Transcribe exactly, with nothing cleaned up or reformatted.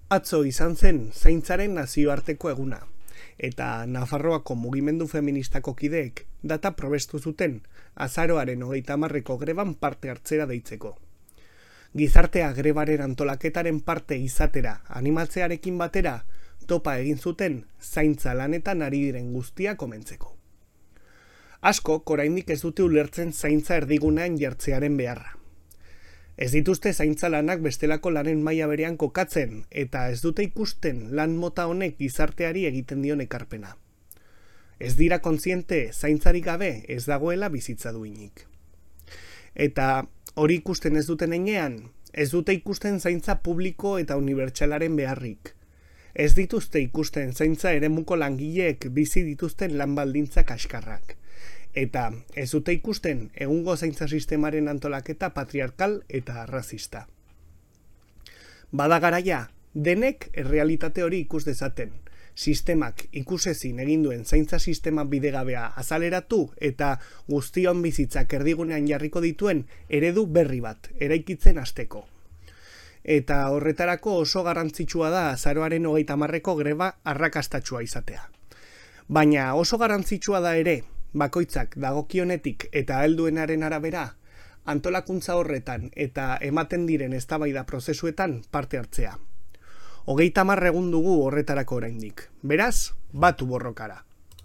Atzo izan zen zaintzaren nazioarteko eguna, eta Nafarroako mugimendu feministako kideek data probestu zuten azaroaren hogeita hamarreko greban parte hartzera deitzeko. Gizartea grebaren antolaketaren parte izatera animatzearekin batera topa egin zuten zaintza lanetan ari diren guztia komentzeko. Asko, oraindik ez dute ulertzen zaintza erdigunean jartzearen beharra. Ez dituzte zaintza lanak bestelako lanen maila berean kokatzen, eta ez dute ikusten lan mota honek gizarteari egiten dion ekarpena. Ez dira kontziente zaintzarik gabe ez dagoela bizitza duinik. Eta hori ikusten ez duten heinean, ez dute ikusten zaintza publiko eta unibertsalaren beharrik. Ez dituzte ikusten zaintza eremuko langileek bizi dituzten lan baldintza kaskarrak. Eta ez dute ikusten egungo zaintza sistemaren antolaketa patriarkal eta arrazista. Bada garaia, denek errealitate hori ikus dezaten. Sistemak ikusezin egin duen zaintza sistema bidegabea azaleratu eta guztion bizitzak erdigunean jarriko dituen eredu berri bat eraikitzen hasteko. Eta horretarako oso garrantzitsua da azaroaren hogeita hamarreko greba arrakastatsua izatea. Baina oso garrantzitsua da ere, bakoitzak dagokionetik eta helduenaren arabera, antolakuntza horretan eta ematen diren eztabaida prozesuetan parte hartzea. Hogeita hamar egun dugu horretarako oraindik. Beraz, batu borrokara.